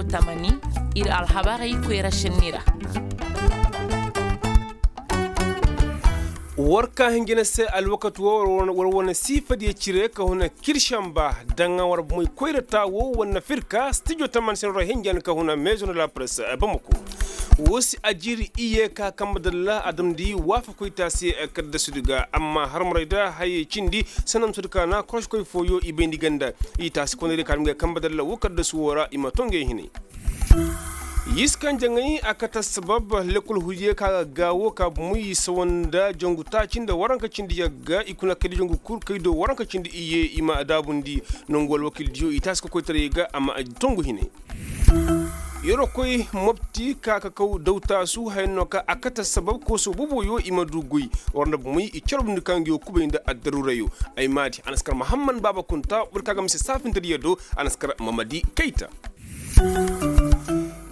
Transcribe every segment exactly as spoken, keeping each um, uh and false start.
Tamani, ir alhabarey koyra senni ra. War ka hinjina se alwakati wo war wane siifadiyo cire ka huna kirsanba daŋ war bumey koyra taa wo war na fir ka stijo tamani senni ra hinjan ka huna meezo na la press bamako. Wo si a jiiri iyye ka kamba dalla a damndi waafakoy taasi kaddasudi ga amma harmarey da hayey cindi sanna musudi ka na koroskoy fooyo i bayndi ganda i taasi koney da ka damndi ga kamba dalla wo kaddasu wo ra i ma to ngey hinay. Yiskaŋ jaŋay a kate assabab lekkol huudiyo ka ga gaawo ka bumey i sawa nda jangu taaci nda waranka cindi yagga i kuna kaydi jangu kul kaydo waranka cindi iyye i ma daabundi. Nangu alwakildiyo i taasi kokoytaray ga a ma tongu hinay. Yeroo koy mopti ka ka kaw daw taasu haya no ka a kate assabab kooso booboyo i ma du goy. War nda bumey i carbundi ka ngi wo kubay nda addaruurayo. Ay maadi a na si kar mahamman baaba kunta boro ka ga mise saafintadiyo do. A na si kar mamadi kayta.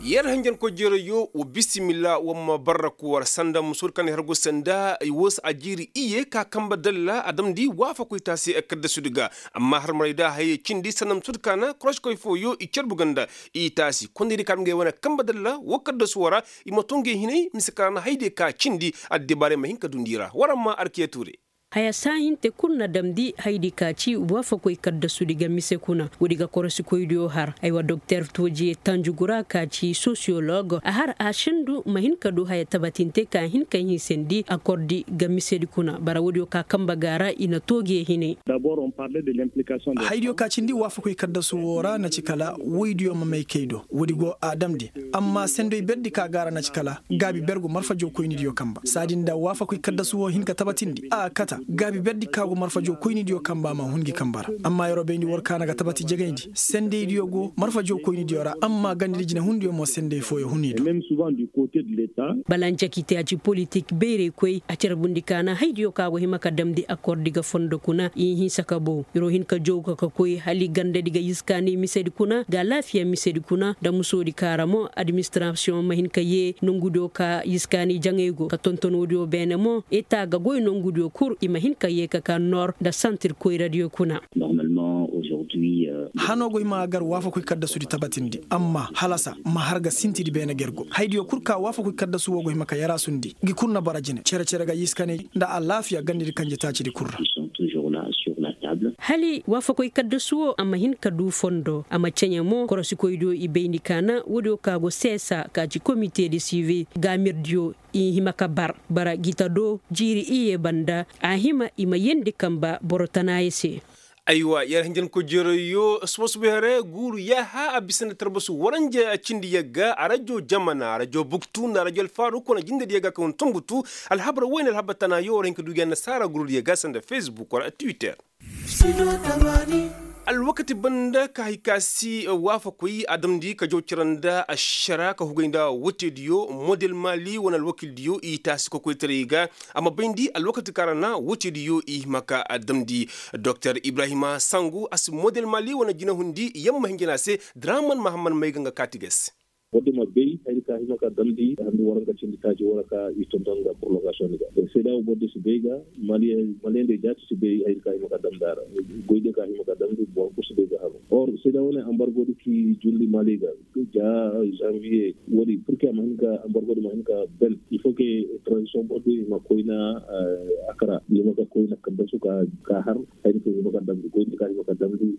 Yer hanjankoy jeerayo wa bisimilla wa ma barraku war sanda musoodi kaŋ na i har go sanda ay woo si a jiiri iyye ka kamba dalla a damndi waafakoy taasi kaddasudi ga. Amma harmarey da hayey cindi sanda musoodi ka na koroskoy fooyo i carbu ganda i taasi kondaydiyo ka ngey wane kamba dalla woo kaddasu wo ra. I ma to ngey hinay mise ka na haydiyo ka cindi addibaarey ma hin ka dundi i ra war amma arkiya tuure. Haya saahinte kul na damndi haydi ka ci waafakoy kaddasudi ga mise kuna woodi ga korosikoydiyo har aywa doktor toojiye tanjugura ka ci sosiyolog a har a sendu ma hin ka du haya tabatinte ka hin ka hinsandi akordi ga misedi kuna bara woodiyo ka kamba ga ra i na toojiye hinay. Haydiyo ka cindi waafakoy kaddasu wo ra na ci kala woydiyo ma may kay do woodi go a damndi. Amma sendoy berdi ka ga ra na ci kala gaabi bergu marfajo koynidiyo kamba saadi nda waafakoy kaddasu wo hin ka tabatindi a kata gaabi berdi ka go marfajo koynidiyo kamba ma hun gi kamba ra. Amma yeroo bayndi war ka na ga tabati jegayndi sendaydiyo go marfajo koynidiyo ra amma gandidi jinahundiyo mo senday fooyo huniido. Balanca kite a ci politik bayraykoy a carbundi ka na haydiyo ka go hima ka damndi akordi ga fondo kuna i hinsa ka bow yeroo hin ka jow ka ka koy hala i gandadi ga yiskaani misedi kuna ga alaafiya misedi kuna nda musoodi ka ra mo administirasiyoŋ ma hin ka yee nongudiyo ka yiskaani jaŋay go ka tonton woodiyo beene mo eta ga goy nongudiyo kul i ma hin ka yee ka ka noor nda santir koyradiyo kuna. Hanoo go i ma gar waafakoy kaddasudi tabatindi amma halasa ma har ga sintidi beene ga yer go haydiyo kul ka waafakoy kaddasu wo go hima ka yaraasundi ngi kul na bara jine cere-cere ga yiskaani nda alaafiya gandadi kanje taacidi kul ra. Hala waafakoy kaddasu wo a ma hin ka du fondo a ma ceɲe mo korosikoydiyo i bayndi ka na woodiyo ka go seesa ka ci komite de sivi gaamirdiyo i hima ka bar bara gita do jiiri iyye banda a hima i ma yeendi kamba boro tanaayo se. Aywa yer hinjankoy jeerayyo suba-suba here guuru yaaha a bisa nda tarbasu waranja cindi yagga arajo jamana arajo buktu nda arajo alfaaru kuna jindediyo ga ka hun tumbutu. Alhabar woyne alhabar tanaayo war hin ka duugi annasaara gurudiyo ga sanda fesbuk wala twitter. Alwakati banda ka hay ka si waafakoy a damndi ka jaw cira nda ašara ka hugay nda woteediyo model maali wane alwakildiyo i taasi kokoytaray ga. A ma bayndi alwakati kaŋ ra na woteediyo i hima ka damndi. Doktor ibrahima sangu a si model maali wane jinahundi yamma hinjina se draman mahamman may ga nga kaati ga se. Bordi ma bay hayri ka hima ka damndi handu waranka cindi taaci wara ka i tonton nga prolongasiyoŋ ga. Seeda wo bordi si bay ga maliyeŋ day jaati si bay hayri ka hima ka damndi a ra. Goydiyo ka hima ka damndi boro kul si bay ga haru or seeda wo ne ambargodi ki julli mali ga ja janviye wodi purke a ma hin ka ambargodi ma hin ka ben il faut ke transition bordi ma koyna a kara yima ka koyna kaddasu ka har hayri ka hima ka damndi goydiyo ka hima ka damndi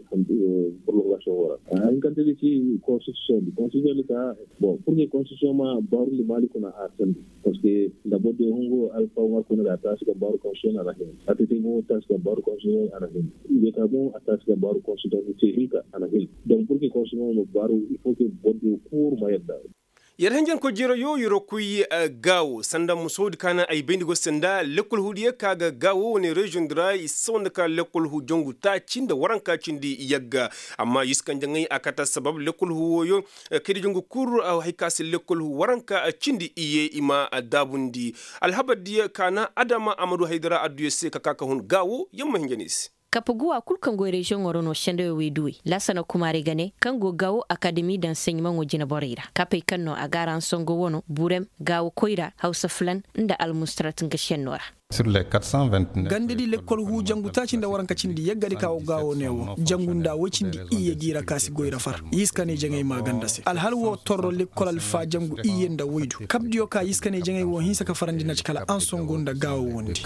prolongasiyoŋ wara. Hinkante di ci konstitusiyoŋ di konstitusiyoŋ di ka bon purke konstitusiyoŋ ma baarundi mali kuna a sandi. Parceque nda boro diyo hungu alfaw ŋarku ne da a taasi ka baaru konstitusiyoŋ a na hin a tete mo taasi ka baaru konstitusiyoŋ a na hin. Yeta mo a taasi ka baaru konstitusiyoŋ te hinka a na hin. Donc purke konstitusiyoŋ ma baaru il faut que boro diyo kuuru ma yadda. Yer hinjankoy jeerayo yer koy gaawo sanda musoodi ka na ay bayndi go se nda lekkol huudiyo ka ga gaawo wane reziyoŋ di ra i si sawa nda ka lekkol huu jangu taaci nda waranka cindi yagga. Amma yuskanjaŋey a kate assabab lekkol huu wooyo kaydijangu kul hay ka se lekkol huu waranka cindi iyye i ma daabundi. Alhabardiyo ka na adama a ma du haydara adduyo se ka ka ka hun gaawo yer ma hinja no i se. Kapaguwa kul kaŋ go reziyoŋo ra no sendawey wayduwey laasana kumaarey ga ne kaŋ go gaawo akademi daŋ saɲimaŋo jineborey ra kapey kaŋ no a ga araŋ songo wano burem gaawo koyra hawsa filan nda almustarat nga senno ra. Gandadi lekkol huu jangu taaci nda waranka cindi yaggadi ka wo gaawo ne wo jangu nda woy cindi iyye gi ra ka si goy ra far i si ka ne jaŋay maaganda se alhal wo torro lekkol alfa jangu iyye nda woydu kabdiyo ka i si ka ne jaŋay wo hinsa ka farandi na ci kala ansongo nda gaawo wondi.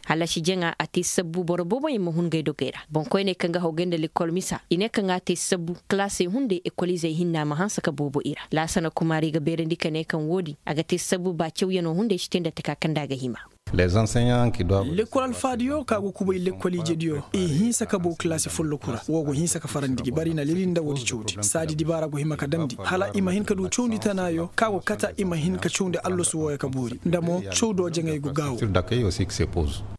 Hallasi jaŋa a te sabbu boro booboyaŋ ma hun ngey dogey ra boŋkoyney kaŋ ga hawgay nda lekkol misa i ne kaŋ a te sabbu kalaasey hunday ekoliizey hinna ma hanse ka boobo i ra laasana kumaari ga beerandi ka ne kaŋ woodin a ga te sabbu ba cawyanoo hunday si te nda taka kaŋ nda a ga hima. Lekkol alfaadiyo ka go kubay lekkol ijediyo i hinsa ka boo kalaasi folloku ra wo go hinsa ka farandi gi bari na lili nda woodi cawdi saadi dibaara go hima ka damndi hala i ma hin ka du cawndi tanaayo ka go kata i ma hin ka cawndi allasu wooyo ka boori nda mo cawdoo jaŋay go gaawo.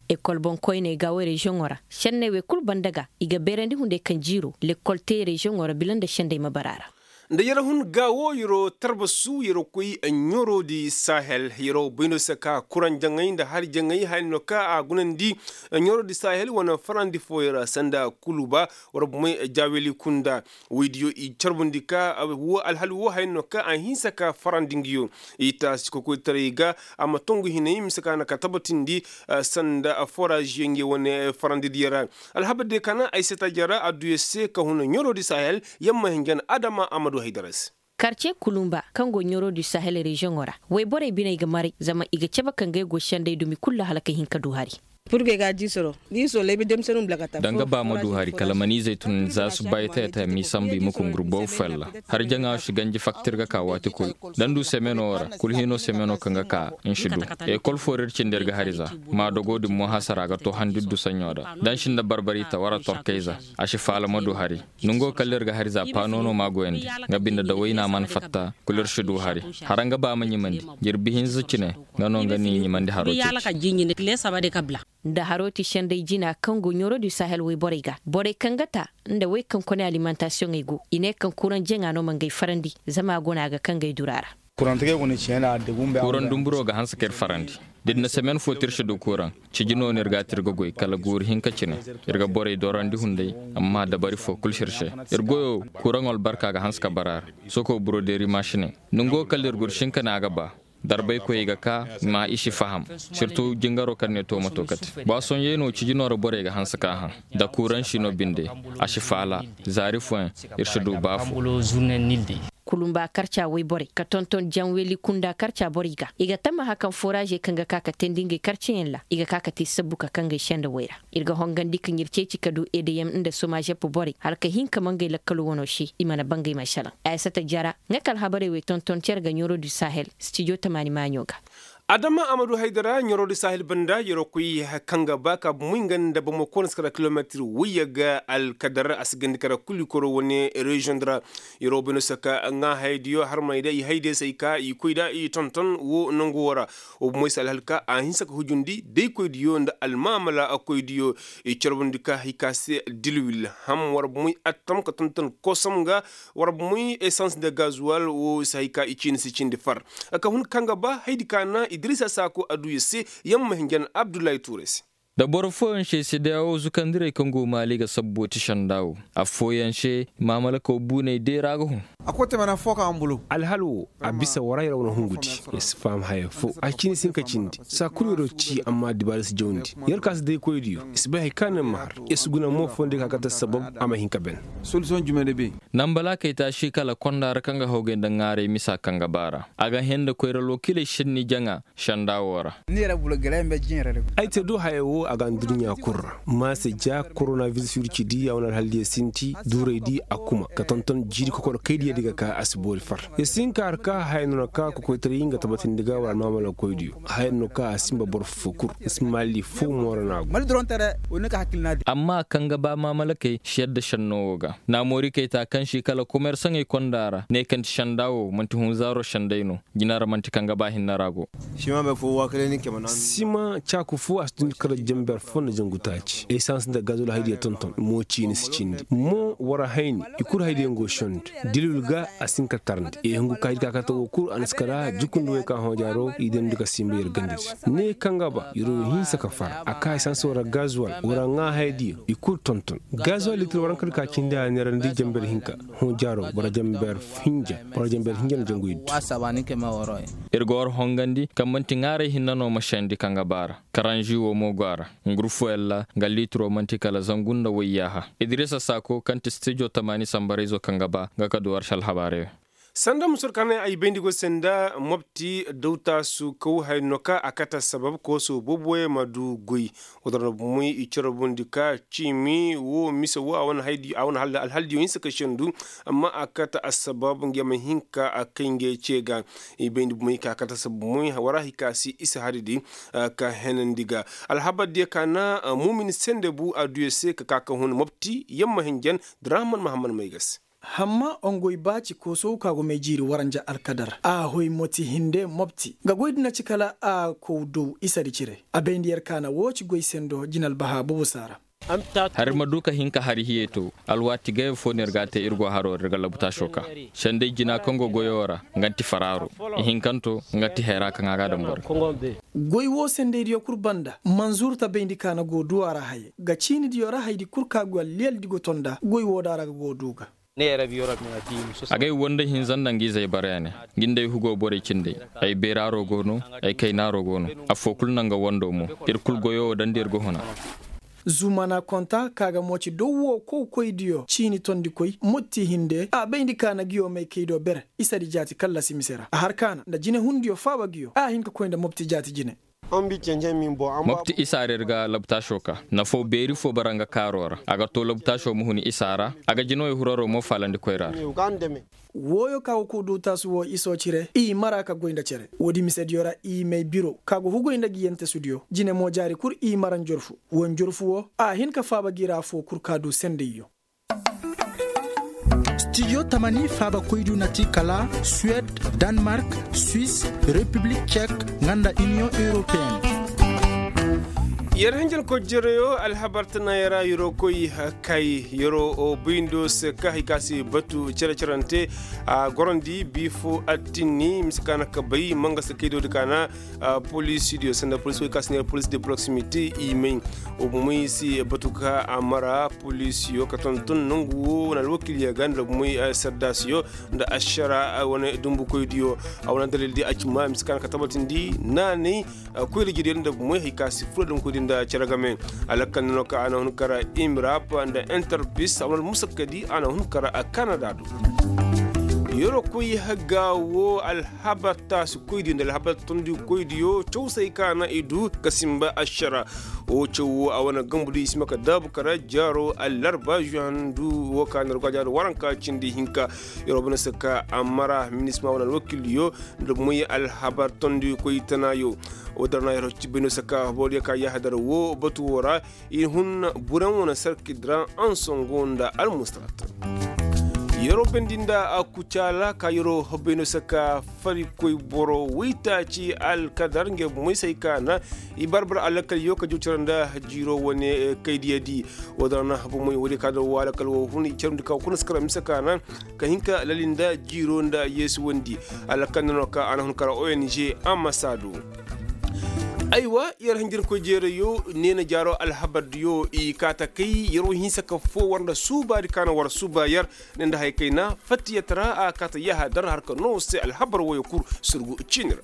Ekol boŋkoyney gaawo reziyoŋo ra senney wey kul banda ga i ga beerandi hunday kaŋ jiiroo lekkol te reziyoŋo ra bila nda sendey ma bara a ra. Nda yer hun gaawo yeroo tarbasu yeroo koy ɲoroodi sahel yeroo bay no se ka kuraŋ jaŋay nda hari jaŋay haya no ka a gunandi ɲoroodi sahel wane farandi fooyo ra sanda kuluba war bumey jaaweli kunda woydiyo i carbundi ka wo alhali wo haya no ka a hinsa ka farandi ngiyo i taasi kokoytaray ga a ma tongu hinay mise ka na ka tabatindi sanda foraaziyo nge wane farandidiyo ra. Alhabar diyo ka naŋ ay se taajara adduya se ka huna ɲoroodi sahel yamma hinjan adama amadu haydara se. Karce kulumba kaŋ go ɲoroodi sahel reziyoŋo ra wayborey biney ga maray zama i ga cabe ka ngey go sendey dumi kulu ra hala ka hin ka du hari. Danga ba ma du hari kala ma ni izey tun za subbay taya taya m'i sambu i ma kungur boobo fella. Hari jaŋa si ganji faktir ga ka waati kul da ni du semeno ra kul hino semeno kaŋ ga ka ni si du. Ekol foo ra ir cindi ir ga hari za ma dogo din mo hasara ga to handi dusaɲo ra da ni si nda barbari ta wara torkayza a si faala ma du hari. Nongo kala ir ga hari za paano no ma goyandi nga binde da wayna mana fatta kul ir si du hari. Hara nga ba ma ɲimandi jirbi hinza cine nga no nga ni ɲimandi haro ceci. Nda haro ti senday jina kaŋ go ɲoro du sahel woy borey ga borey kaŋ ga ta nda wey kaŋ kone alimantasiyoŋey go i ne kaŋ kuraŋ jaŋa no ma ngey farandi zama a go no a ga kaŋ gay dura ra. Kuraŋ dumburo ga hanse ka ir farandi da ir na semen fo te ir si du kuraŋ. Ciji no no ir ga a te ir ga goy kala guuri hinka cine ir ga borey dorandi hunday. Amma dabari fo kul si ir se ir goyo kuraŋo albarka ga hanse ka bara ra. Soko buroderi mašiney nongo kala ir gursinka ne a ga ba. Darbaykoyey ga ka ma i si faham sirtu jingaro kaŋ ne toomato kate baasoɲey no ciji no ra borey ga hanse ka haŋ. Da kuransi no binde a si faala zaari fooyaŋ ir si du ba fo. Kulumba karca woy borey ka tonton janweli kunda karca borey ga i ga tammaha kaŋ foraazey kaŋ ga ka ka teendi ngey karcayaŋ ra i ga ka ka te sabbu ka kaŋ gay senda woy ra. Ir ga hongandi kaŋ ir ceeci ka du edeyem nda somazep borey hala ka hin ka mangay lakkalo wano se i mana bangay ma salaŋ. Aysata jara nga ka alhabarey wey tonton cere ga ɲoro du sahel stijo tamaani maaɲo ga. Adama amadu haydara ɲoro du sahel banda yeroo koy kaŋ ga ba ka bumuy nga nda bomo koona si kara kilometir wayya ga alkadar a si gandi kara kulu koro wane reziyoŋ di ra. Yeroo bay no si ka ŋaa hayadiyo harmaney da i hayadiyo se ay ka i koy da i tonton wo nangu wo ra. Wa bomoy si alhal ka a hinsa ka hujundi daykoydiyo nda almaamala koydiyo. I carbundi ka hay ka se dilwil ham war bomoy attam ka tonton kosam ga war bomoy esans nda gazuwal wo si hay ka i ciini si cindi far. Ka hun kaŋ ga ba haydi ka na idirisa saako aduya se yamma hinjan abdullahi tuure se. Da boro fooyaŋ se sedeyawo zukandirey kaŋ go maali ga sabbo ti sanda wo. Affooyaŋ se maamalakaw buuney deera ga hun. Alhal wo a bisa wara yer wane hungu di. Yer si faham haya fo a cine si hin ka cindi saa kulu yeroo ci amma dibaara si jawndi. Yer ka si daykoydiyo i si bay hari kaŋ na yer ma har. Yer si guna mo fooyaŋ di ka kate sabab a ma hin ka ben. Nambalaakey taasi kala konda ra kaŋ ga hawgay nda ŋaaray misa kaŋ ga baara a ga hẽe nda koyra lookiley senni jaŋa. Senda wo ra. Ay te do haya wo a ga anduɲɲa kul ra. Maase ja koronaviris wirci di a wane alhal diya sinti duuray di a kuma ka tonton jiiri kokorokay diya di ga ka a si boori far. Ya si hin ka har ka haya no na ka kokoytaray nga tabatindi ga wala almaamala koydiyo haya no ka a sinba boro fo kul. Ismaali fo mooro na go. Amma kaŋ ga ba maamalakey si yadda senno wo ga. Naamoori kay ta kaŋ si kala komersaŋey konda ra ne kaŋ ti senda wo manti hunzaaro senday no. Jina ra manti kaŋ ga ba hinne ra go. Sima caaku fo a si tun kala. Ber fo nda jangu taaci esans nda gazol haydiya tonton mo ciini si cindi mo war a hayni. I kul haydiyaŋ go sondi dilwil ga a si hin ka tarndi i hungu ka haydi ka kate wo kul a na si kala jukundi wey ka hõ jaaro i dandi ka simba yer gandadi. Ne kaŋ ga ba yer wo hinsa ka far a ka esans war a gazol war a ŋaa haydiya i kul tonton. Gazol litir war a hin ka di ka cindi a neerandi jamber hinka hõ jaaro war a jamber hinja war a jamber hinja na jangu iddu. Ir ga war hongandi kaŋ man'ti ŋaaray hinne no ma sendi kaŋ ga baara. Karanži wo mo go a ra. Ngurfuwella nga liitiro man'ti kala zangu nda wayyaaha. Idirisa saako kaŋ ti stijo tamaani sambarayzo kaŋ ga ba nga ka du war si alhabaarey. Sanda musur kaŋ ay bayndi go se nda mobti dawtaasu kaw hay no ka a kate assabab kooso booboyaŋ ma du goy. Wala ra bumey i cere bundi ka ciimi wo mise wo a wane alhaldiyo hinsa ka sendu. Amma a kate assabab nga ma hin ka a kay ngey ce ga. I bayndi bumey ka kate assabab bumey wara hay ka si isa hari di ka henandi ga. Alhabar diyo ka na muumin sende bu a du yer se ka ka ka hun mobti yamma hinjan. Drahaman mahammad may ga se. Hamma ongoy ba ci koosow ka go may jiiri waranja alkadar a hoy moti hinde mobti nga goy di na ci kala a kow dow isadi cire. A bayndi yer ka na woo ci goy sendo jinal baha bobo saara. Hari ma du ka hin ka hari hiyey to. Alwaati gayey fo no ir ga a te ir go haroo ra ir ga labutaaso ka. Senday jina kaŋ go goyoo ra nga nti faraaro. Ihinkanto nga nti hayra kaŋ a ga a daŋ boro. Goy woo sendaydiyo kul banda manzurta bayndi ka na go du a ra hayey ga ciinidiyo ra haydi kul ka go alliyaldi go ton nda goy woo da a ra ga go du ga. Agay woo nda hinza nda nga izey bara ya ne. Nga nda ay hugoo borey cindey. Ay beeraaroo go no. Ay kaynaaroo go no. Affoo kul na nga wandoo mo. Ir kul goyoo woo daŋ nda ir ga huna. Zumana konta ka ga mo ci dow woo kowkoydiyo ciini tondikoy motti hinde a bayndi ka na ngiyo may kaydo bere. Isadi jaati kallasi mise ra a har ka na nda jinehundiyo faaba ngiyo a hin ka koy nda mobti jaati jine. Mopti isaarey ra ga labtaasoo ka. Nafoo beeri foo bara nga kaaroo ra a ga too labtaasoo ma hun isaa ra. A ga jinawey huraroo mo faalandi koyraa ra. Wooyoo ka go kuu duu taasu woo isoo cire i mara ka goy nda cere woodi misediyo ra i may biroo ka go hugoy nda ngi yentesudiyo jine mo jaari kul i mara njorfu. Woo njorfu woo a hin ka faaba ngi ra afoo kul ka duu sendayyo. Stijo tamani faabakoydiyo na ti kala suwed, danmark, swis, repiblik cek, nga nda iniyoŋ europeen. Yer hinjankoy jereyoo alhabar tana yer a yeroo koy kay yeroo boyndoo se ka hay ka se batu cere-cerante. A gorandi bii foo attini mise ka na ka bay mangasa kaydoodi ka na. Poliisidiyo sanda poliisi wey ka si neera poliisi de proximité i may. Wa bomoy si batu ka a mara poliisiyo ka tonton nangu woo wane alwakilya ga nda bomoy saddaasiyo nda ašara wane dumbukoydiyo. A wane dalildi a ci ma mise ka na ka tabatindi naanay koyra jiriyo nda bomoy hay ka si furo damkoydiyo nda cere game. Alakal nano ka a na hun kara imirap nda interpis a wane almusakkadi a na hun kara kanada do. Yeroo koy hagga woo alhabar taasi koydiyo nda alhabar tondi koydiyo cawsay ka na i du ka simba ašara. Woo caw woo a wane gambudiyo i si ma ka daabu kara jaaro allarba zuhandu woo ka na ir go a jaaro waranka cindi hinka. Yeroo bana se ka a mara minisma wane alwakildiyo nda moy alhabar tondi koy tanaayo. Woo dara na yeroo ci bayno se ka booriyo ka yahadar woo batu woo ra. I hun buraŋ wane sarkidi ra ansongo nda almustarat. Yeroo bendi nda kucaala ka yeroo hobbey no se ka farikoy boro waytaaci alkadar ngey bomey se hay ka na i barbar alakal yo ka joocira nda jiiroo wane kaydiyadi. Woo da ra na bomey woodiyo ka da woo alakal woo hun i carndi ka woo kuna si kara mise ka na ka hin ka lali nda jiiroo nda yeesuwandi. Alakal nano ka a na hun kara ong ambasaado. Aywa yer hinjirkoy jeerayoo neena jaaroo alhabardiyo i kaa ta kay yer wo hinsa ka foo war nda suubaadi ka na war suuba yer. Ne nda haya kayna fattiyatara a kaa ta yahadar har ka noo se alhabar woyo kul surgu ciini ra.